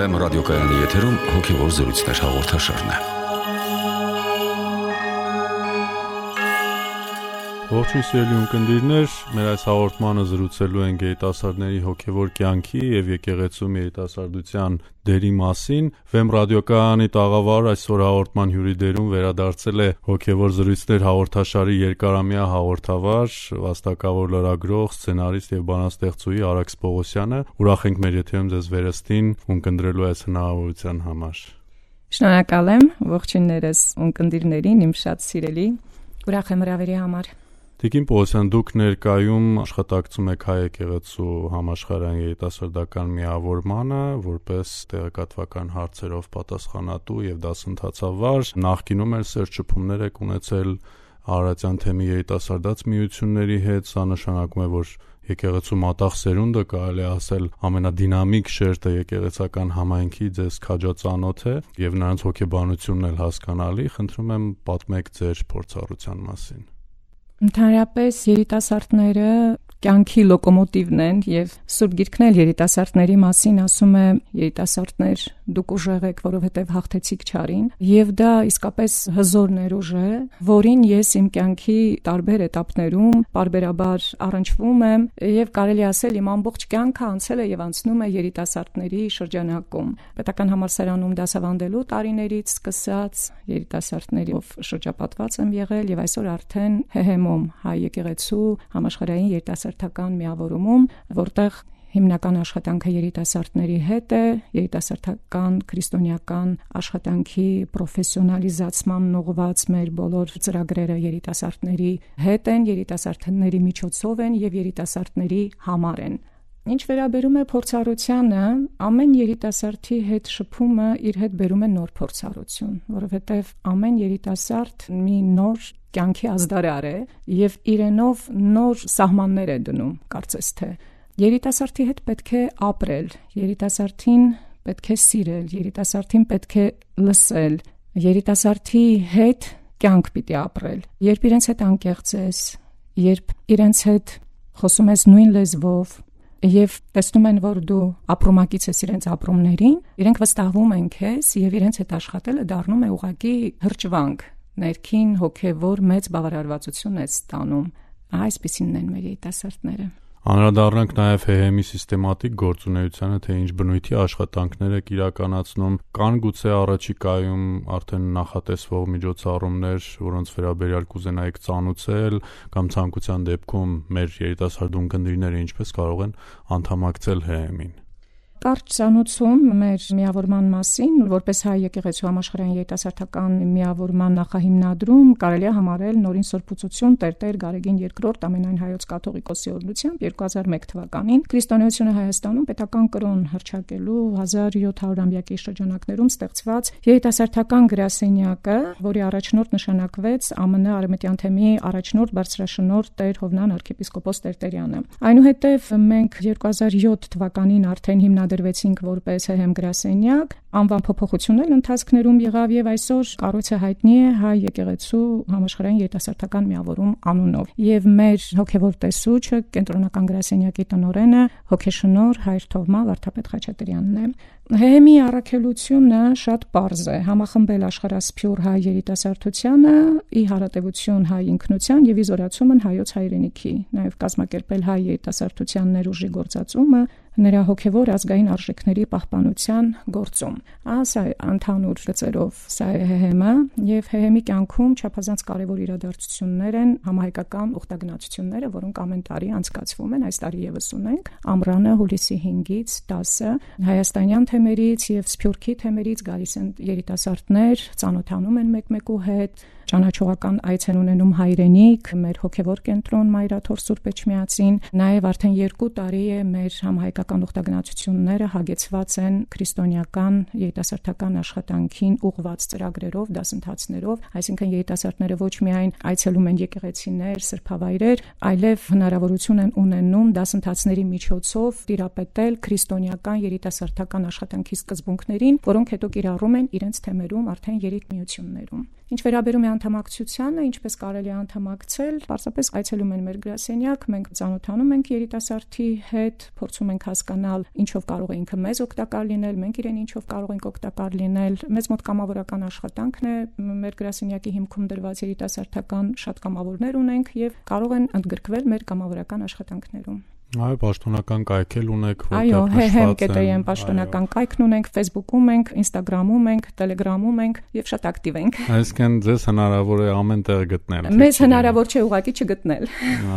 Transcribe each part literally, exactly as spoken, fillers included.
Վեմ ռադիոկայանի եթերում հոգևոր զրույցներ հաղորդաշարն է։ Ողջույն սիրելի ունկնդիրներ, մեր այս հաղորդմանը զրուցելու ենք երիտասարդների հոգևոր կյանքի եւ եկեղեցում երիտասարդության դերի մասին։ Վեմ ռադիոկայանի տաղավար այսօր հաղորդման հյուրի դերում վերադարձել է հոգևոր զրույցներ հաղորդաշարի երկարամյա հաղորդավար, վաստակավոր լրագրող, սցենարիստ եւ բանաստեղծուհի Արաքս Պողոսյանը։ Ուրախ ենք մեր եթերում ձեզ վերստին ունկնդրելու այս հնարավորության համար։ Շնորհակալ եմ, ողջույններս ունկնդիրներին, իմ շատ սիրելի։ Ուրախ եմ հրավերի համար։ Տիկին Պողոսյան, դուք ներկայում աշխատակցում եք Հայ եկեղեցու համաշխարհային երիտասարդական միավորմանը որպես տեղեկատվական հարցերով պատասխանատու եւ դասընթացավար։ Նախկինում էլ սերտ եք ունեցել Արարատյան թեմի երիտասարդաց միությունների հետ, սա նշանակում է, որ եկեղեցու մատաղ սերունդը, կարելի է ասել, ամենադինամիկ շերտը եկեղեցական համայնքի ձեզ քաջածանոթ է եւ նրանց հոգեբանությունն էլ հասկանալի։ Խնդրում եմ պատմեք ձեր փորձառության մասին։ Ընդհանրապես երիտասարդները կյանքի լոկոմոտիվն են եւ Սուրբ Գիրքն էլ երիտասարդների մասին ասում է. երիտասարդներ, դուք ուժեղ եք, որովհետեւ հաղթեցիք չարին, եւ դա իսկապես հզոր ներուժ է, որին ես իմ կյանքի տարբեր էտապներում բարբերաբար առնչվում եմ եւ կարելի ասել իմ ամբողջ կյանքը անցել է եւ անցնում է երիտասարդների շրջանակում։ Պետական համալսարանում դասավանդելու տարիներից սկսած երիտասարդներով շրջապատված եմ եղել եւ այսօր արդեն ՀՀՄ-ում Հայ եկեղեցու համաշխարհային երիտասարդական միավորումում, որտեղ հիմնական աշխատանքը երիտասարդների հետ է, երիտասարդական քրիստոնեական աշխատանքի պրոֆեսիոնալիզացման ուղղված մեր բոլոր ծրագրերը երիտասարդների հետ են, երիտասարդների միջոցով են եւ երիտասարդների համար են։ Ինչ վերաբերում է փորձառությանը, ամեն երիտասարդի հետ շփումը իր հետ բերում է նոր փորձառություն, որովհետև ամեն երիտասարդ մի նոր կյանքի ազդարար է եւ իրենով նոր սահմաններ է դնում, կարծես թե։ Երիտասարդի հետ պետք է ապրել, երիտասարդին պետք է սիրել, երիտասարդին պետք է լսել, երիտասարդի հետ կյանք պիտի ապրել։ Երբ իրենց հետ անկեղծ ես, երբ իրենց հետ խոսում ես նույն լեզվով, եւ տեսնում են, որ դու ապրումակից ես իրենց ապրումներին, իրենք վստահվում են քեզ եւ իրենց հետ աշխատելը դառնում է ուղղակի հրճվանք, ներքին հոգեվոր մեծ բավարարվածություն է ստանում։ Այսպիսինն են մեր երիտասարդները։ Անդրադառնանք նաև ՀՀՄ-ի սիստեմատիկ գործունեությանը, թե ինչ բնույթի աշխատանքներ եք իրականացնում, կան գուցե առաջիկայում արդեն նախատեսվող միջոցառումներ, որոնց վերաբերյալ կուզենայիք ծանուցել, կամ ցանկության դեպքում մեր երիտասարդ ունկնդիրները ինչպես կարող են անդամակցել ՀՀՄ-ին։ Կարճ ծանուցում մեր միավորման մասին, որպես Հայ եկեղեցու համաշխարհային երիտասարդական միավորման նախահիմնադրում կարելի է համարել նորին սրբուցություն Տեր-Տեր Գարեգին երկրորդ ամենայն հայոց կաթողիկոսի օրհնությամբ երկու հազար մեկ թվականին քրիստոնեությունը Հայաստանում պետական կրոն հռչակելու հազար յոթ հարյուրամյակի շրջանակներում ստեղծված երիտասարդական գրասենյակը, որի առաջնորդ նշանակվեց ԱՄՆ Արևմտյան թեմի առաջնորդ բարձրաշնորհ Տեր Հովնան arczepiskopos Տերտերյանը։ Այնուհետև մենք երկու հազար յոթ թվականին արդեն հիմնադրեցինք դրվեցինք որպես ՀՀՄ գրասենյակ, անվան փոփոխություններ ընթացքներում եղավ եւ այսօր կառույցը հայտնի է Հայ եկեղեցու համաշխարհային երիտասարդական միավորում անունով։ Եվ մեր հոգեվոր տեսուչը, կենտրոնական գրասենյակի տնօրենը հոգեշնորհ Հայր Թովմա Վարդապետ Խաչատրյանն է։ ՀՀՄ-ի առաքելությունը շատ պարզ է՝ համախմբել աշխարհասփյուռ հայ երիտասարդությանը, ի հարատևություն հայ ինքնության եւ ի զորացումն հայոց հայրենիքի, նաեւ կազմակերպել հայ երիտասարդության ներուժի գործածումը, նրա հոգևոր ազգային արժեքների պահպանության գործում։ Ասա ընդհանուր գծերով սա է ՀՀՄ եւ ՀՀՄ-ի կյանքում չափազանց կարեւոր իրադարձություններ են համահայկական ուխտագնացությունները, որոնք ամեն տարի անցկացվում են, այս տարի եւս ունենք։ Ամռանը հուլիսի հինգից տասը հայաստանյան թեմերից եւ սփյուռքի թեմերից գալիս են երիտասարդներ, ծանոթանում են մեկ-մեկու հետ, ճանաչողական այց են ունենում հայրենիք, մեր հոգևոր կենտրոն Մայրաթոր Սուրբ Էջմիածին, նաև արդեն երկու տարի է մեր համահայկական ուխտագնացությունները հագեցված են քրիստոնեական երիտասարդական աշխատանքին ուղղված ծրագրերով, դասընթացներով, այսինքն երիտասարդները ոչ միայն այցելում են եկեղեցիներ, սրբավայրեր, այլև հնարավորություն են ունենում դասընթացների միջոցով տիրապետել քրիստոնեական երիտասարդական աշխատանքի սկզբունքներին, որոնք հետո կիրառում են իրենց թեմերում արդեն երիտմիություններում։ Ինչ վերաբերում է անդամակցությանը, ինչպես կարելի է անդամակցել, պարզապես այցելում են մեր գրասենյակ, մենք ծանոթանում ենք երիտասարդի հետ, փորձում ենք հասկանալ ինչով կարող է ինքը մեզ օգտակար լինել, մենք իրեն ինչով կարող ենք օգտակար լինել։ Մեզ մոտ կամավորական աշխատանքն է, մեր գրասենյակի հիմքում դրված երիտասարդական շատ կամավորներ ունենք եւ կարող են ընդգրկվել մեր կամավորական աշխատանքներում։ Այո, պաշտոնական կայք էլ ունեք, այո, հեմ.կետեյ պաշտոնական կայքն ունենք, Facebook-ում ենք, Instagram-ում ենք, Telegram-ում ենք եւ շատ ակտիվ ենք։ Այսինքն ձեզ հնարավոր է ամեն տեղ գտնել։ Մեզ հնարավոր չէ ուղղակի չգտնել։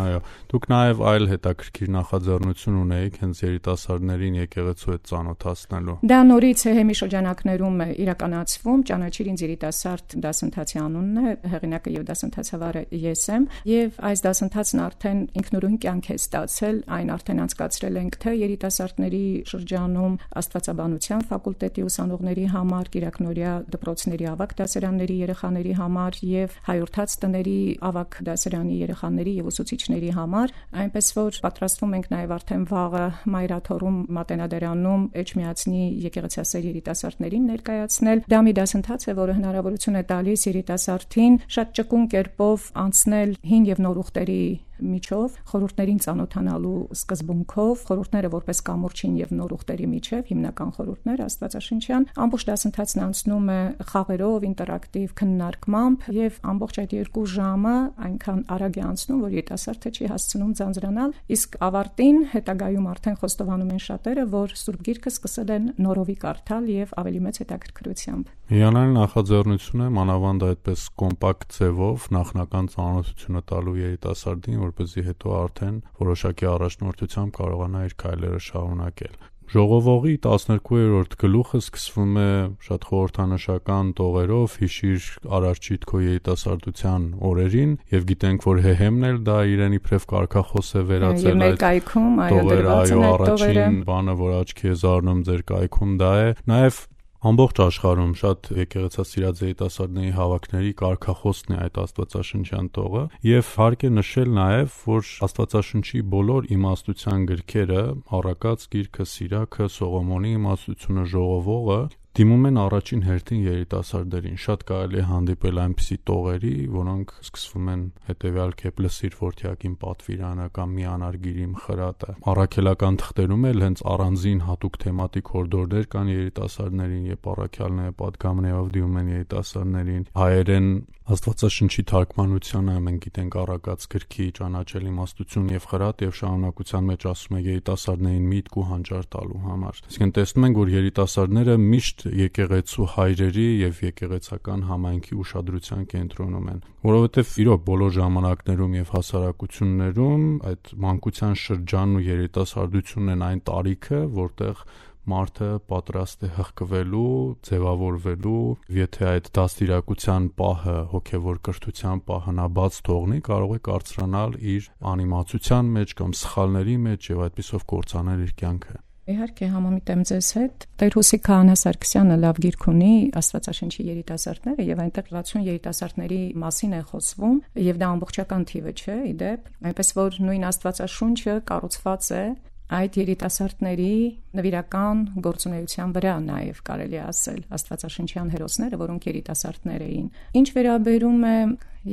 Այո, դուք նաեւ այլ հետաքրքիր նախաձեռնություն ունեիք հենց երիտասարդներին եկեղեցու հետ ծանոթացնելու։ Դա նորից է հեմի շրջանակներում է իրականացվում, ճանաչիր ինձ երիտասարդ դասընթացի անունն է, հեղինակը եւ դասընթացավարը ես եմ, եւ այս դասընթացն արդեն ինքնուրույն կյանք է ստացել, այն արդեն անցկացրել ենք թե երիտասարդների շրջանում աստվածաբանության ֆակուլտետի ուսանողների համար, Կիրակնորիա դպրոցների ավագ դասարանների երեխաների համար եւ հայորդաց տների ավագ դասարանի երեխաների եւ ուսուցիչների համար, այնպես որ պատրաստվում ենք նաեւ արդեն վաղը Մայրաթորում Մատենադարանում Էջմիածնի եկեղեցասեր երիտասարդներին ներկայացնել։ Դա մի դասընթաց է, որը հնարավորություն է տալիս երիտասարդին շատ ճկուն կերպով անցնել հին եւ նոր ուխտերի միջով, խորհուրդներին ծանոթանալու սկզբունքով, խորհուրդները որպես կամուրջին եւ նոր ուխտերի միջև, հիմնական խորհուրդներ աստվածաշնչյան, ամբողջ դասընթացն անցնում է խաղերով, ինտերակտիվ քննարկմամբ եւ ամբողջ այդ երկու ժամը այնքան արագ է անցնում, որ երիտասարդը չի հասցնում ձանձրանալ, իսկ ավարտին հետագայում արդեն խոստովանում են շատերը, որ Սուրբ Գիրքը սկսել են նորովի կարդալ եւ ավելի մեծ հետաքրքրությամբ։ Հիանալի նախաձեռնություն է, մանավանդ այդպես կոմպակտ ձևով նախնական ծանոթությունը տալու երիտասարդին, որպեսզի հետո արդեն որոշակի առաջնորդությամբ կարողանա իր քայլերը շարունակել։ Ժողովողի տասներկուերորդ գլուխը սկսվում է շատ խորհրդանշական տողերով՝ հիշիր Արարչիդ քո երիտասարդության օրերին, եւ գիտենք, որ ՀՀ-ն էլ դա իրեն իբրև կարգախոս է վերածել այդ կայքում, այո, դրված են այդ տողերը։ Առաջին բանը, որ աչքի է զարնում ձեր կայքում, դա է։ Նաեւ ամբողջ աշխարհում շատ եկեղեցասիրած երիտասարդների հավաքների կարգախոսն է այդ աստվածաշնչյան տողը, եւ հարկ է նշել նաեւ, որ աստվածաշնչի բոլոր իմաստության գրքերը, Առակաց գիրքը, Սիրաքը, Սողոմոնի իմաստությունը, Ժողովողը դիմում են առաջին հերթին երիտասարդներին։ Շատ կարելի է հանդիպել այնպիսի տողերի, որոնք սկսվում են հետեւյալ կերպ՝ լսիր որդյակին պատվիրանը կամ միանար գիրիմ խրատը։ Առաքելական թղթերում էլ հենց առանձին հատուկ թեմատիկ հորդորներ կան երիտասարդներին, երբ առաքյալները պատգամներով դիմում են երիտասարդներին։ Հայերեն Աստվածաշնչի թարգմանությանը մենք գիտենք Առակաց գրքի ճանաչել իմաստություն եւ խրատ եւ շարունակության մեջ ասում է երիտասարդներին միտք ու հանճար տալու համար։ Այսինքն տեսնում ենք, որ երիտասարդները միշտ եկեղեցու հայրերի եւ եկեղեցական համայնքի ուշադրության կենտրոնում են, որովհետեւ իրոք բոլոր ժամանակներում եւ հասարակություններում այդ մանկության շրջանն ու երիտասարդությունն են այն տարիքը, որտեղ մարդը պատրաստ է հղկվելու, ձևավորվելու, եթե այդ դաստիարակության պահը, հոգևոր կրթության պահը նա բաց թողնի, կարող է կարծրանալ իր անիմացության մեջ կամ սխալների մեջ եւ այդպիսով կործանել իր կյանքը։ Իհարկե համամիտ եմ ձեզ հետ։ Տեր Հուսիկ Քահանա Սարգսյանը լավ գիրք ունի Աստվածաշնչի երիտասարդները եւ այնտեղ վաթսուն երիտասարդների մասին է խոսվում եւ դա ամբողջական թիվը չէ, իդեպ, այնպես որ նույն Աստվածաշունչը կառուցված է այդ երիտասարդների նվիրական գործունեության վրա նաև կարելի է ասել Աստվածաշնչյան հերոսները, որոնք երիտասարդներ էին։ Ինչ վերաբերում է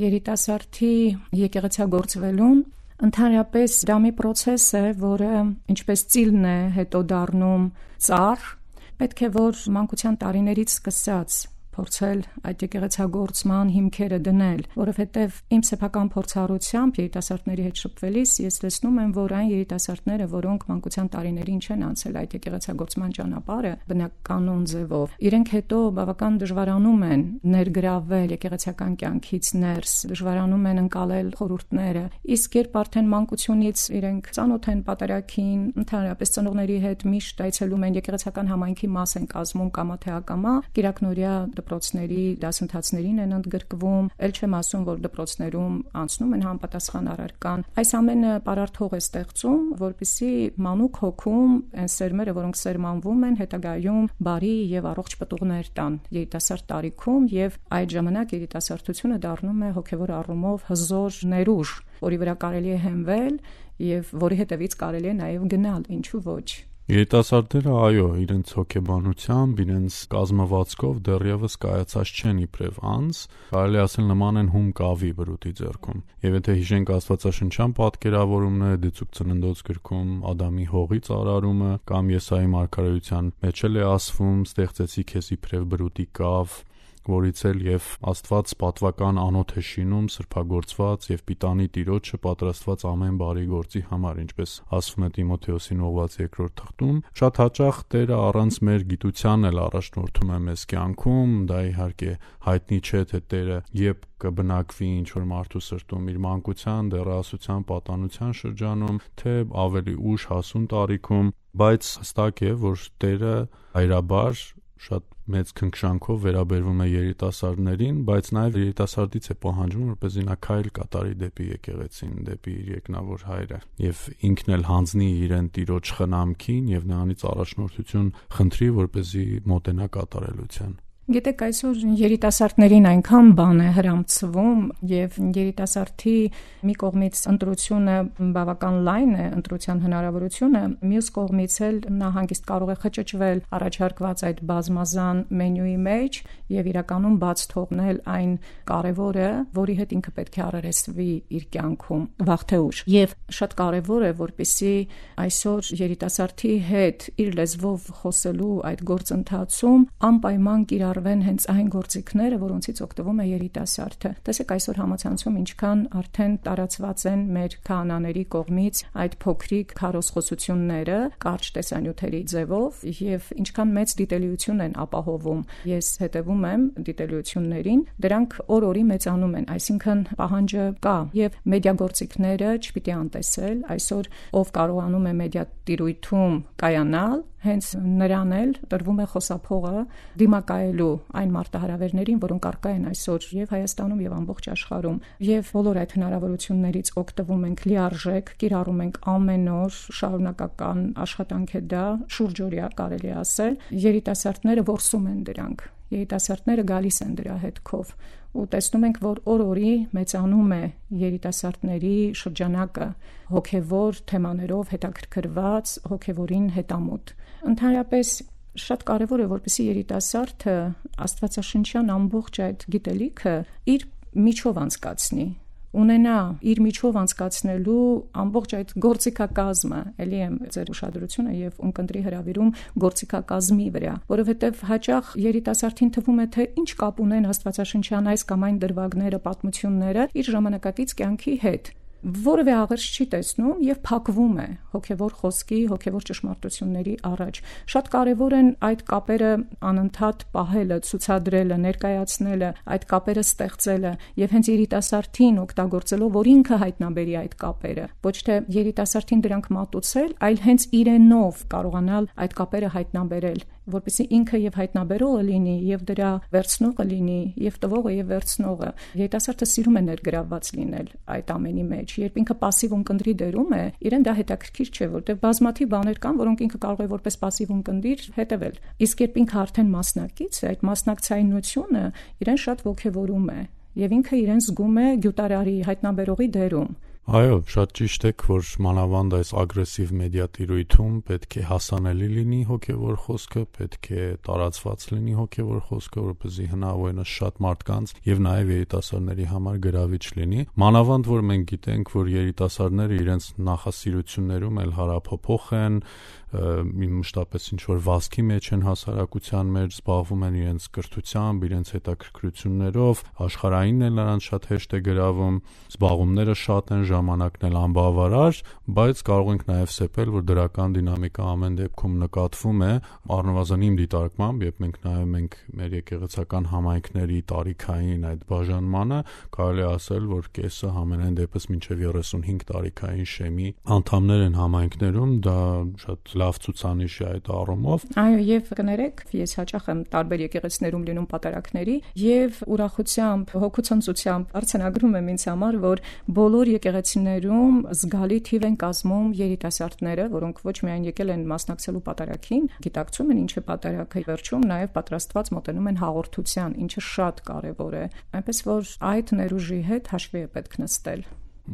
երիտասարդի եկեղեցագործվելուն, ընդհանրապես դա մի process է, որը ինչպես ծիլն է հետո դառնում ծառ, պետք է որ մանկության տարիներից սկսած փորձել այդ եկեղեցագործման հիմքերը դնել, որովհետև իմ սեփական փորձառությամբ երիտասարդների հետ շփվելիս ես տեսնում եմ, որ այն երիտասարդները, որոնք մանկության տարիներին չեն անցել այդ եկեղեցագործման ճանապարհը բնականon ձևով, իրենք հետո բավական դժվարանում են ներգրավել եկեղեցական կյանքից ներս, դժվարանում են ընկալել խորհուրդները, իսկ երբ արդեն մանկությունից իրենք ծանոթ են պատարագին, ընդհանրապես ծնողների հետ միշտ այցելում են եկեղեցական համայնքի մաս են կազմում կամա թե ակամա, Կիրակնորիա դպրոցների դասընթացներին են ընդգրկվում, ել չեմ ասում, որ դպրոցներում անցնում են համապատասխան առարկան։ Այս ամենը պարարտ հող է ստեղծում, որպեսզի մանուկ հոգում այն սերմերը, որոնք սերմանվում են, հետագայում բարի եւ առողջ պտուղներ տան երիտասարդ տարիքում եւ այդ ժամանակ երիտասարդությունը դառնում է հոգեվոր առումով հզոր ներուժ, որի վրա կարելի է հենվել եւ որի հետևից կարելի է նաեւ գնալ, ինչու ոչ։ Երիտասարդները, այո, իրենց հոգեբանությամբ, իրենց կազմվածքով դեռևս կայացած չեն իբրև անձ, կարելի ասել նման են հում կավի բրուտի ձեռքում։ Եվ եթե հիշենք աստվածաշնչյան պատկերավորումները Դիցուք ծննդոց գրքում Ադամի հողի ծարարումը կամ Եսայի մարգարեության մեջ էլ է ասվում. «Ստեղծեցի քեզ իբրև բրուտի կավ», որից էլ եւ Աստված պատվական անոթ է շինում սրբագործված եւ պիտանի Տիրոջը պատրաստված ամեն բարի գործի համար, ինչպես ասվում է Տիմոթեոսին ուղղված երկրորդ թղթում։ Շատ հաճախ Տերը առանց մեր գիտության էլ առաջնորդում է մեզ կյանքում, դա իհարկե հայտնի չէ, թե Տերը երբ կբնակվի ինչ-որ մարդու սրտում իր մանկության, դեռահասության, պատանության շրջանում, թե ավելի ուշ հասուն տարիքում, բայց հստակ է, որ Տերը հայրաբար շատ մեծ քնքշանքով վերաբերվում է երիտասարդներին, բայց նաև երիտասարդից է պահանջում, որպեսզի նա քայլ կատարի դեպի եկեղեցին, դեպի իր երկնավոր հայրը, եւ ինքն էլ հանձնի իրեն Տիրոջ խնամքին եւ նրանից առաջնորդություն խնդրի, որպեսզի մոտենա կատարելության։ Գիտեք, այսօր երիտասարդներին այնքան բան է հրամցվում եւ երիտասարդի մի կողմից ընտրությունը բավական լայն է, ընտրության հնարավորությունը, մյուս կողմից էլ նա հանգիստ կարող է խճճվել առաջարկված այդ բազմազան մենյուի մեջ եւ իրականում բաց թողնել այն կարևորը, որի հետ ինքը պետք է առերեսվի իր կյանքում վաղ թե ուշ։ Եվ շատ կարևոր է, որպեսզի այսօր երիտասարդի հետ իր լեզվով խոսելու այդ գործընթացում անպայման կիրառ հենց այն գործիքները, որոնցից օգտվում է երիտասարդը։ Տեսեք, այսօր համացանցում ինչքան արդեն տարածված են մեր քահանաների կողմից այդ փոքրիկ քարոզխոսությունները կարճ տեսանյութերի ձևով եւ ինչքան մեծ դիտելիություն են ապահովում։ Ես հետևում եմ դիտելիություններին, դրանք օր-օրի մեծանում են, այսինքն պահանջը կա եւ մեդիագործիքները չպիտի անտեսել։ Այսօր ով կարողանում է մեդիա տիրույթում կայանալ, հենց նրան էլ տրվում է խոսափողը դիմակայելու այն մարտահրավերներին, որոնք առկա են այսօր եւ Հայաստանում եւ ամբողջ աշխարհում, եւ բոլոր այդ հնարավորություններից օգտվում ենք լիարժեք, կիրառում ենք ամեն օր, շարունակական աշխատանք է դա, շուրջօրյա կարելի ասել, երիտասարդները որսում են դրանք, երիտասարդները գալիս են դրա հետքով ու տեսնում ենք, որ օր-օրի մեծանում է երիտասարդների շրջանակը հոգեվոր թեմաներով հետաքրքրված, հոգեվորին հետամուտ։ Ընդհանրապես շատ կարևոր է, որպեսզի երիտասարդը աստվածաշնչյան ամբողջ այդ գիտելիքը իր միջով անցկացնի, ունենա իր միջով անցկացնելու ամբողջ այդ գործիքակազմը, ելի եմ ձեր ուշադրությունը եւ ունկնդրի հրավիրում գործիքակազմի վրա, որովհետեւ հաճախ երիտասարդին թվում է, թե ինչ կապ ունեն աստվածաշնչյան այս կամ այն դրվագները, պատմությունները իր ժամանակակից կյանքի հետ, որևէ աղերս չի տեսնում եւ փակվում է հոգեվոր խոսքի, հոգեվոր ճշմարտությունների առաջ։ Շատ կարեւոր են այդ կապերը անընդհատ պահելը, ցուցադրելը, ներկայացնելը, այդ կապերը ստեղծելը եւ հենց երիտասարդին օգտագործելով, որ ինքը հայտնաբերի այդ կապերը, ոչ թե երիտասարդին դրանք մատուցել, այլ հենց իրենով կարողանալ այդ կապերը հայտնաբերել, որպեսզի ինքը եւ հայտնաբերողը լինի, եւ դրա վերցնողը լինի, եւ տվողը եւ վերցնողը։ Երիտասարդը սիրում է ներգրավված լինել այդ ամենի մեջ։ Երբ ինքը пассив ունկնդրի դերում է, իրեն դա հետաքրքիր չէ, որտեղ բազմաթիվ բաներ կան, որոնք ինքը կարող է որպես пассив ունկնդիր հետևել։ Իսկ երբ ինքը արդեն մասնակից է, այդ մասնակցայնությունը իրեն շատ ոգևորում է, եւ ինքը իրեն զգում է գյուտարարի, հայտնաբերողի դերում։ Այո, շատ ճիշտ է, որ մանավանդ այս ագրեսիվ մեդիա տիրույթում պետք է հասանելի լինի հոգևոր խոսքը, պետք է տարածված լինի հոգևոր խոսքը, որպեսզի հնարավորինս շատ մարդկանց եւ նաեւ երիտասարդների համար գրավիչ լինի։ Մանավանդ որ մենք գիտենք, որ երիտասարդները իրենց նախասիրություններում էլ հարափոփոխ են, մշտապես ինչ որ վազքի մեջ են հասարակության մեջ, զբաղվում են իրենց կրթությամբ, իրենց հետաքրքրություններով, աշխարհայինն էլ նրանց շատ հեշտ է գրավում, զբաղումները շատ են, ժամանակն էլ անբավարար, բայց կարող ենք նաև սեպել, որ դրական դինամիկա ամեն դեպքում նկատվում է, առնվազն իմ դիտարկմամբ, երբ մենք նայում ենք մեր եկեղեցական համայնքների տարիքային այդ բաժանմանը, կարելի է ասել, որ կեսը համենայն դեպս մինչև երեսունհինգ տարիքային շեմի անդամներ են համայնքներում, դա շատ լավ ցուցանիշ է այդ առումով։ Այո, եւ կներեք, ես հաճախ եմ տարբեր եկեղեցիներում լինում պատարակների եւ ուրախությամբ, հոգուցանցությամբ արձանագրում եմ ինձ համար, որ բոլոր եկեղեցիներում զգալի թիվ են կազմում երիտասարդները, որոնք ոչ միայն եկել են մասնակցելու պատարակին, գիտակցում են ինչ է պատարակը, վերջում նաեւ պատրաստված մոտենում են հաղորդության, ինչը շատ կարեւոր է։ Այնպես որ այդ ներուժի հետ հաշվի է պետք նստել։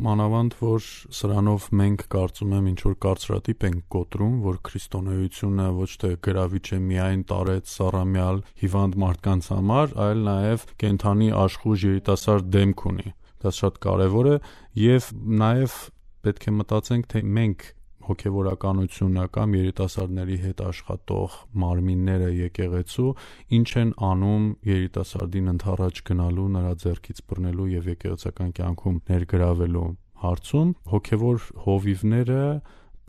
մանավանդ որ սրանով մենք կարծում եմ ինչ որ կարծրատիպ ենք կոտրում, որ քրիստոնեությունը ոչ թե գրավիչ է միայն տարեց սառամյալ հիվանդ մարդկանց համար, այլ նաև կենդանի աշխույժ երիտասարդ դեմք ունի։ Դա շատ կարևոր է եւ նաև պետք է մտածենք, թե մենք հոգևորականությունը կամ երիտասարդների հետ աշխատող մարմինները եկեղեցու ինչ են անում երիտասարդին ընդառաջ գնալու, նրա ձեռքից բռնելու եւ եկեղեցական կյանքում ներգրավելու հարցում հոգևոր հովիվները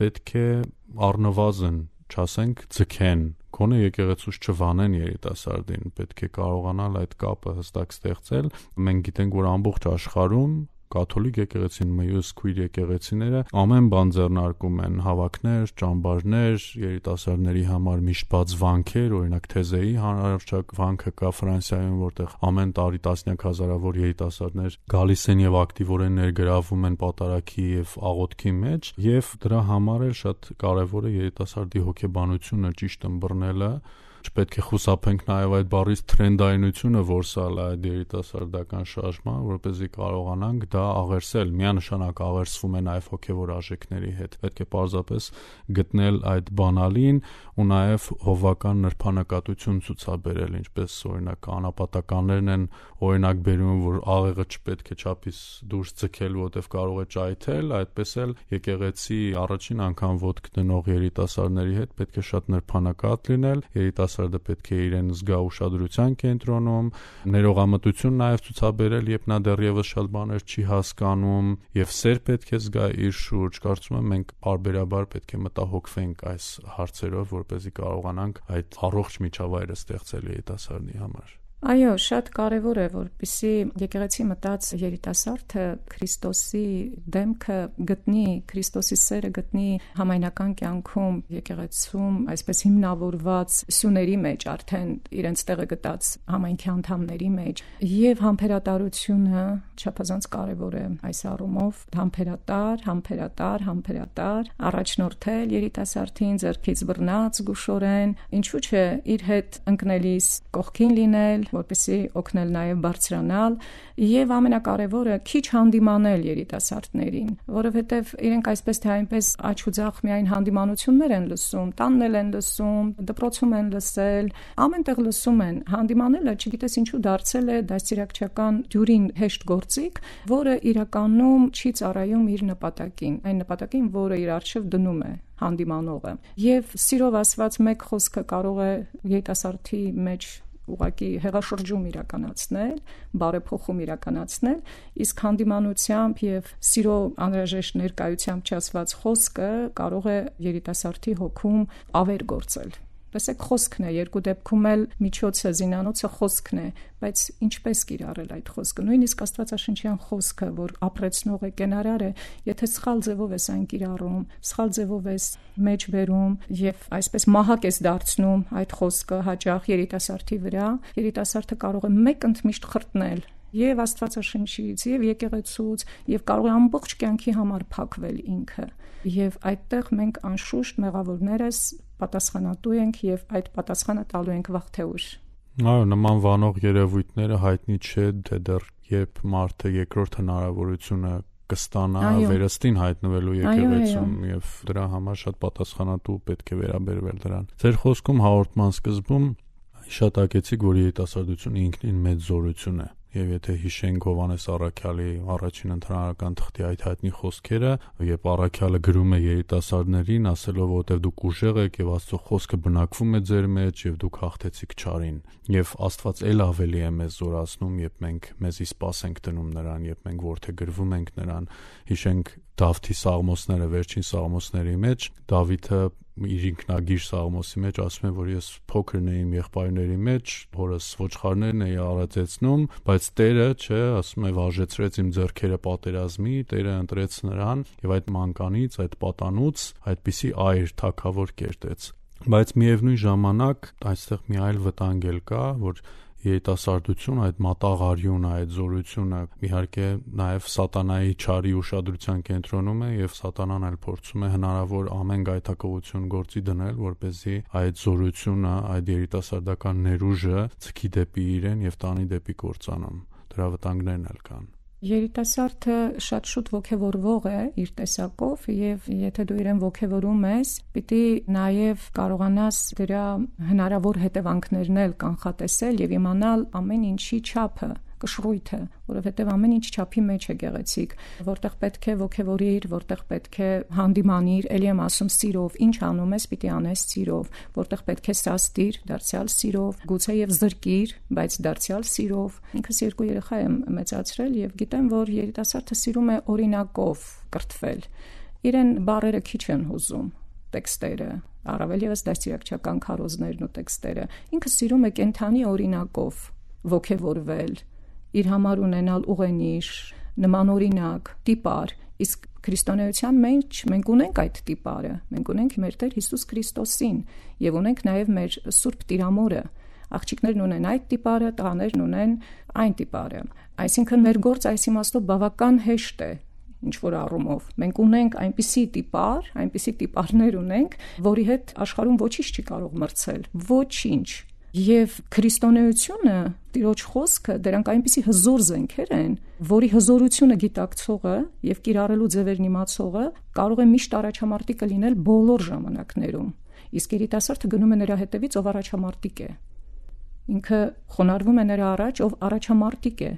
պետք է առնվազն չասենք ձգեն, գոնե եկեղեցուց չվանեն երիտասարդին, պետք է կարողանալ այդ կապը հստակ ստեղծել։ Մենք գիտենք, որ ամբողջ աշխարհում կաթոլիկ եկեղեցին, մյուս քույր եկեղեցիները ամեն բան ձեռնարկում են, հավաքներ, ճամբարներ, երիտասարդների համար միշտ բաց վանքեր, օրինակ Թեզեի հանրահռչակ վանքը կա Ֆրանսիայում, որտեղ ամեն տարի տասնյակ հազարավոր երիտասարդներ գալիս են եւ ակտիվորեն ներգրավում են պատարագի եւ աղոթքի մեջ, եւ դրա համար էլ շատ կարեւոր է երիտասարդի հոգեբանությունը ճիշտ ըմբռնելը։ Չպետք է խուսափենք նաև այդ բառից թրենդայնությունը որսալ այդ երիտասարդական շարժման, որպեսզի կարողանանք դա աղերսել, միանշանակ աղերսվում է նաև հոգևոր արժեքների հետ։ Պետք է պարզապես գտնել այդ բանալին ու նաև հովվական նրբանակատություն ցուցաբերել, ինչպես օրինակ անապատականներն են օրինակ բերում, որ աղեղը չպետք է չափից դուրս ձգել, որտեղ կարող է ճայթել, այդպես էլ եկեղեցի առաջին անգամ ոտք դնող երիտասարդների հետ պետք է շատ նրբանակատ լինել, երիտասարդը պետք է իրեն զգա ուշադրության կենտրոնում, ներողամտություն նաև ցուցաբերել, երբ նա դեռևս շատ բաներ չի հասկանում, եւ սեր պետք է զգա իր շուրջ։ Կարծում եմ մենք բարբերաբար պետք է մտահոգվենք այս հարցերով, որպեսզի կարողանանք այդ առողջ միջավայրը ստեղծել երիտասարդի համար։ Այո, շատ կարևոր է, որպեսզի եկեղեցի մտած երիտասարդը Քրիստոսի դեմքը գտնի, Քրիստոսի սերը գտնի համայնական կյանքում, եկեղեցում, այսպես հիմնավորված սյուների մեջ, արդեն իրենց տեղը գտած համայնքի անդամների մեջ, եւ համբերատարությունը չափազանց կարևոր է այս առումով, համբերատար, համբերատար, համբերատար, առաջնորդել երիտասարդին ձեռքից բռնած գուշորեն, ինչու՞ չէ իր հետ ընկնելիս կողքին լինել, որպեսզի օգնել նաև բարձրանալ եւ ամենակարևորը քիչ հանդիմանել երիտասարդներին, որովհետեւ իրենք այսպես թե այնպես աչք ու ձախ միայն հանդիմանություններ են լսում, տաննել են լսում, դպրոցում են լսել, ամենտեղ լսում են։ Հանդիմանելը, չգիտես ինչու դարձել է դաստիարակչական դյուրին հեշտ գործիք, որը իրականում չի ծառայում իր նպատակին, այն նպատակին, որը իր առջև դնում է հանդիմանողը։ Եվ սիրով ասված մեկ խոսքը կարող է երիտասարդի մեջ ուղղակի հեղաշրջում իրականացնել, բարեփոխում իրականացնել, իսկ հանդիմանությամբ եւ սիրո անհրաժեշտ ներկայությամբ չասված խոսքը կարող է երիտասարդի հոգում ավեր գործել։ Տեսեք, խոսքն է, երկու դեպքում էլ միջոցը, զինանոցը խոսքն է, բայց ինչպես կիրառել այդ խոսքը, նույնիսկ աստվածաշնչյան խոսքը, որ ապրեցնող է, կենարար է, եթե սխալ ձևով ես այն կիրառում, սխալ ձևով ես մեջ բերում եւ այսպես մահակ ես դարձնում այդ խոսքը հաճախ երիտասարդի վրա, երիտասարդը կարող է մեկ ընդմիշտ խրտնել եւ աստվածաշնչից, եւ եկեղեցուց, եւ կարող է ամբողջ կյանքի համար փակվել ինքը։ Եվ այդտեղ մենք անշուշտ մեղավորներս պատասխանատու ենք եւ այդ պատասխանը տալու ենք վաղ թե ուշ։ Այո, նման վանող երևույթները հայտնի չէ, թե դեռ երբ մարդը երկրորդ հնարավորությունը կստանա վերստին հայտնվելու եկեղեցում եւ դրա համար շատ պատասխանատու պետք է վերաբերվել դրան։ Ձեր խոսքում հաղորդման սկզբում հիշատակեցիք, որ երիտասարդությունը ինքնին մեծ զորություն է։ Եվ եթե հիշենք Հովհաննես առաքյալի առաջին ընթրանական թղթի այդ հայտնի խոսքերը, երբ առաքյալը գրում է երիտասարդներին, ասելով, որտեղ դուք ուժեղ եք եւ Աստծո խոսքը բնակվում է ձեր մեջ եւ դուք հաղթեցիք չարին, եւ Աստված ել ավելի է մեզ զորացնում, երբ մենք մեզի սպասենք դնում նրան, երբ մենք որդեգրվում ենք նրան։ Հիշենք Դավթի սաղմոսները, վերջին սաղմոսների մեջ Դավիթը իր ինքնագիր սաղմոսի մեջ ասում է, որ ես փոքրն եմ եղբայրների մեջ, հորս ոչխարներն էի արածեցնում, բայց Տերը, չէ, ասում է, վարժեցրեց իմ ձեռքերը պատերազմի, Տերը ընտրեց նրան եւ այդ մանկանից, այդ պատանուց այդպիսի այր թագավոր կերտեց։ Բայց միևնույն ժամանակ այստեղ մի այլ վտանգ էլ կա, որ երիտասարդություն, այդ մատաղարյունը, այդ զորությունը իհարկե նաև սատանայի չարի ուշադրության կենտրոնում է եւ սատանան էլ փորձում է հնարավոր ամեն գայթակղություն գործի դնել, որպեսզի այդ զորությունը, այդ երիտասարդական ներուժը ցկի դեպի իրեն եւ տանի դեպի կործանում։ Դրա վտանգներն էլ կան։ Երիտասարդը շատ շուտ ոգևորվող է իր տեսակով եւ եթե դու իրեն ոգևորում ես, պիտի նաեւ կարողանաս դրա հնարավոր հետևանքներն էլ կանխատեսել եւ իմանալ ամեն ինչի չափը, կշռույթը, որովհետեւ ամեն ինչ չափի մեջ է գեղեցիկ, որտեղ պետք է ոգևորիր, որտեղ պետք է հանդիմանիր, ելի եմ ասում սիրով, ինչ անում ես, պիտի անես սիրով, որտեղ պետք է սաստիր, դարձյալ սիրով, գուցե եւ զրկիր, բայց դարձյալ սիրով։ Ինքս երկու երեխա եմ մեծացրել եւ գիտեմ, որ երիտասարդը սիրում է օրինակով կրթվել։ Իրեն բառերը քիչ են հուզում, տեքստերը, առավել եւս դաստիարակչական քարոզներն ու տեքստերը։ Ինքը սիրում է կենթանի օրինակով ոգևորվել, իր համար ունենալ ուղենիշ, նմանօրինակ, տիպար, իսկ քրիստոնեության մեջ մենք ունենք այդ տիպարը, մենք ունենք մեր Տեր Հիսուս Քրիստոսին եւ ունենք նաեւ մեր Սուրբ Տիրամորը, աղջիկներն ունեն այդ տիպարը, տղաներն ունեն այն տիպարը, այսինքն մեր գործ այս իմաստով բավական հեշտ է, ինչ որ առումով, մենք ունենք այնպիսի տիպար, այնպիսի տիպարներ ունենք, որի հետ աշխարհում ոչինչ չի կարող մրցել, ոչինչ։ Եվ քրիստոնեությունը, Տիրոջ խոսքը, դրանք այնպիսի հզոր զենքեր են, որի հզորությունը գիտակցողը եւ կիրառելու ձևերն իմացողը կարող է միշտ առաջամարտիկը լինել բոլոր ժամանակներում։ Իսկ երիտասարդը գնում է նրա հետևից, ով առաջամարտիկ է։ Ինքը խոնարհվում է նրա առաջ, ով առաջամարտիկ է։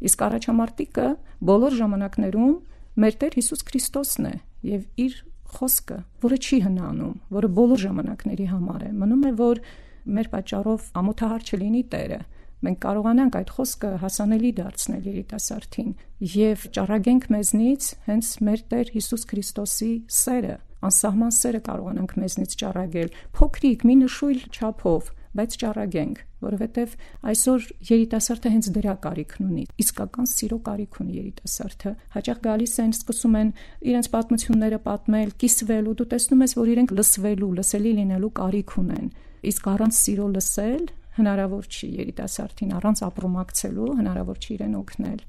Իսկ առաջամարտիկը բոլոր ժամանակներում մեր Տեր Հիսուս Քրիստոսն է եւ իր խոսքը, որը չի հնանում, որը բոլոր ժամանակների համար է։ Մնում է, որ մեր պատճառով ամոթահար չլինի Տերը, մենք կարողանանք այդ խոսքը հասանելի դարձնել երիտասարդին եւ ճառագենք մեզնից հենց մեր Տեր Հիսուս Քրիստոսի սերը, անսահման սերը կարողանանք մեզնից ճառագել, փոքրիկ մի նշույլ չափով, բայց ճառագենք, որովհետեւ այսօր երիտասարդը հենց դրա կարիքն ունի, իսկական սիրո կարիք ունի երիտասարդը։ Հաճախ գալիս են, սկսում են իրենց պատմությունները պատմել, կիսվել ու դու տեսնում ես, որ իրենք լսվելու, լսելի լինելու կարիք ունեն։ Իսկ առանց սիրո լսել հնարավոր չի երիտասարդին, առանց ապրոմակցելու հնարավոր չի իրեն օգնել։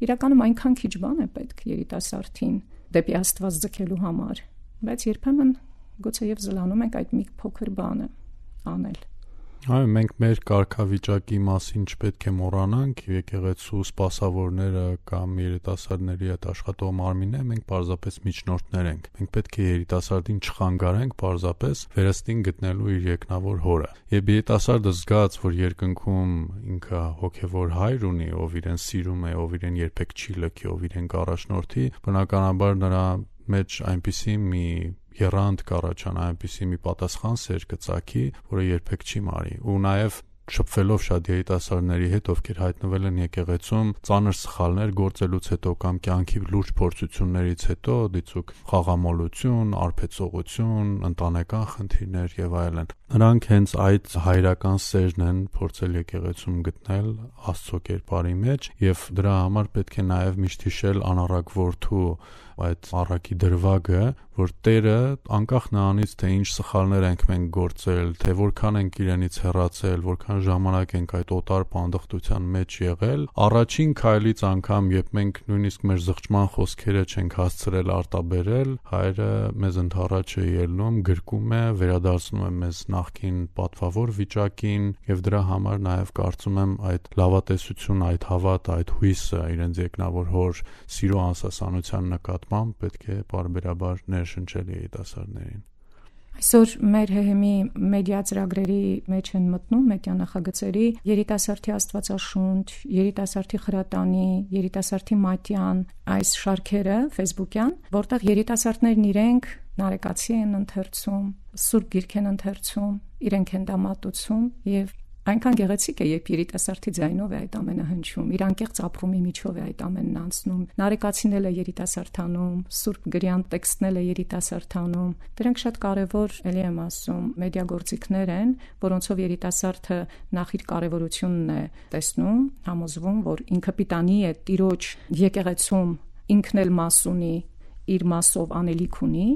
Իրականում այնքան քիչ բան է պետք երիտասարդին դեպի Աստված ձգելու համար, բայց երբեմն գուցե եւ զլանում ենք այդ մի փոքր բանը անել։ Այո, մենք մեր կարգավիճակի մասին չպետք է մոռանանք, եկեղեցու սպասավորները կամ երիտասարդների հետ աշխատող մարմինները, մենք պարզապես միջնորդներ ենք։ Մենք պետք է երիտասարդին չխանգարենք պարզապես վերստին գտնելու իր երկնավոր հորը։ Երբ երիտասարդը զգաց, որ երկնքում ինքը հոգևոր հայր ունի, ով իրեն սիրում է, ով իրեն երբեք չի լքի, ով իրեն կառաջնորդի, բնականաբար նրա մեջ այնպիսի մի եռանդ կառաջանա, այնպիսի մի պատասխան սեր կծագի, որը երբեք չի մարի։ Ու նաև շփվելով շատ երիտասարդների հետ, ովքեր հայտնվել են եկեղեցում ծանր սխալներ գործելուց հետո կամ կյանքի լուրջ փորձություններից հետո, դիցուք խաղամոլություն, արբեցողություն, ընտանեկան խնդիրներ եւ այլն, նրանք հենց այդ հայրական սերն են փորձել եկեղեցում գտնել Աստծո կերպարի մեջ եւ դրա համար պետք է նաեւ միշտ հիշել անառակ որդու այդ առակի դրվագը, որ Տերը անկախ նրանից, թե ինչ սխալներ ենք մենք գործել, թե որքան ենք իրենից հեռացել, որքան ժամանակ ենք այդ օտար պանդխտության մեջ եղել, առաջին քայլից անգամ, երբ մենք նույնիսկ մեր զղջման խոսքերը չենք հասցրել արտաբերել, Հայրը մեզ ընդառաջ է ելնում, գրկում է, վերադարձնում է մեզ նախկին պատվավոր վիճակին եւ դրա համար նաեւ կարծում եմ այդ լավատեսություն, այդ հավատը, այդ հույսը իրենց երկնավոր հոր սիրո անսասանության նկատմամբ պետք է պարբերաբար ներշնչել երիտասարդներին։ Այսօր մեր ՀՀՄ-ի մեդիա ծրագրերի մեջ են մտնում մեդիա նախագծերի երիտասարդի Աստվածաշունչ, երիտասարդի խրատանի, երիտասարդի մատյան այս շարքերը Facebook-յան, որտեղ երիտասարդներն իրենք նարեկացի են ընթերցում, սուրբ գիրք են ընթերցում, իրենք են դա մատուցում եւ այնքան գեղեցիկ է, երբ երիտասարդի ձայնով է այդ ամենը հնչում, իր անկեղծ ապրումի միջով է այդ ամենն անցնում, նարեկացին էլ է երիտասարդանում, սուրբ գրյան տեքստն էլ է երիտասարդանում, դրանք շատ կարևոր, ելի եմ ասում, մեդիագործիքներ են, որոնցով երիտասարդը նախ իր կարևորությունն է տեսնում, համոզվում, որ ինքը պիտանի է Տիրոջ եկեղեցում ինքն էլ մաս ունի, իր մասով անելիք ունի,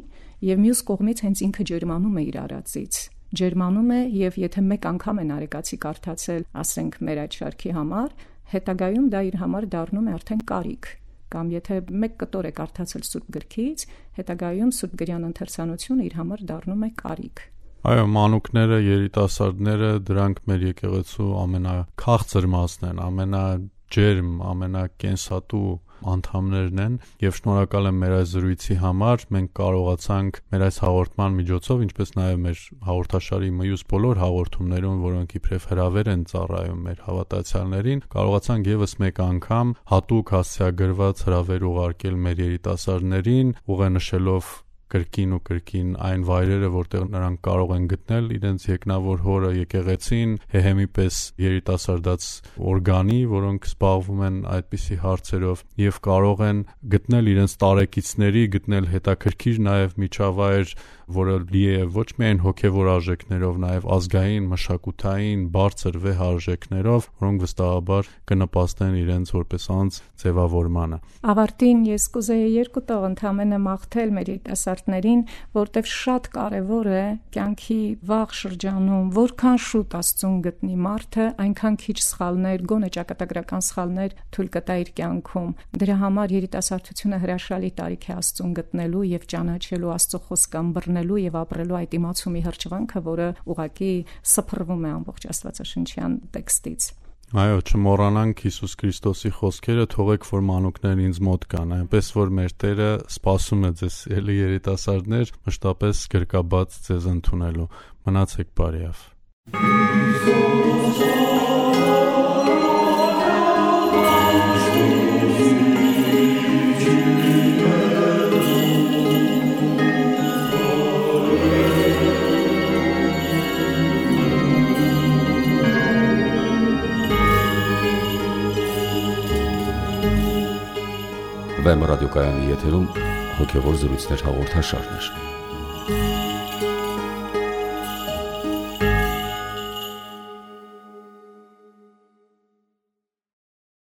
եւ մյուս կողմից հենց ինքը ջերմանում է իր արածից։ Ջերմանում է եւ եթե մեկ անգամ է նարեկացի կարդացել, ասենք մեր այդ շարքի համար, հետագայում դա իր համար դառնում է արդեն կարիք, կամ եթե մեկ կտոր է կարդացել սուրբ գրքից, հետագայում սուրբ գրյան ընթերցանությունը իր համար դառնում է կարիք։ Այո, մանուկները, երիտասարդները, դրանք մեր եկեղեցու ամենաքաղցր մասն են, ամենաջերմ, ամենակենսատու անդամներն են, եւ շնորհակալ եմ մեր այս զրույցի համար։ Մենք կարողացանք մեր այս հաղորդման միջոցով, ինչպես նաեւ մեր հաղորդաշարի մյուս բոլոր հաղորդումներում, որոնք իբրև հրավեր են ծառայում մեր հավատացյալներին, կարողացանք եւս մեկ անգամ հատուկ հասցեագրված հրավեր ուղարկել մեր երիտասարդներին, ուղենշելով կրկին ու կրկին այն վայրերը, որտեղ նրանք կարող են գտնել իրենց եկնավոր հորը, եկեղեցին, Հեհեմի պես երիտասարդաց օրգանի, որոնք զբաղվում են այդպիսի հարցերով, եւ կարող են գտնել իրենց տարեկիցների, գտնել հետաքրքիր նաեւ միջավայր, որը լի է ոչ միայն հոգեվոր արժեքներով, նաեւ ազգային, մշակութային, բարձր վեհ արժեքներով, որոնք վստահաբար կնպաստեն իրենց որպես անձ ձևավորմանը։ Ավարտին ես կուզեի երկու տող ընդհանրապես մաղթել մեր երիտասարդներին, որտեղ շատ կարևոր է կյանքի վաղ շրջանում, որքան շուտ Աստծուն գտնի մարդը, այնքան քիչ սխալներ, գոնե ճակատագրական սխալներ թույլ կտա իր կյանքում։ Դրա համար երիտասարդությունը հրաշալի տարիք է Աստծուն գտնելու եւ ճանաչելու Աստծո խոսքը ըմբռնելու եւ ապրելու այդ իմացումի հրճվանքը, որը ուղղակի սփռվում է ամբողջ Աստվածաշնչյան տեքստից։ Այո, չմոռանանք Հիսուս Քրիստոսի խոսքերը, թողեք որ մանուկներն ինձ մոտ գան, այնպես որ մեր Տերը սպասում է ձեզ ելի երիտասարդներ, մշտապես գրկաբաց ձեզ ընդունելու։ Մնացեք բարիավ։ Վեմ ռադիոկայանի եթերում հոգևոր զրույցներ հաղորդաշարներ։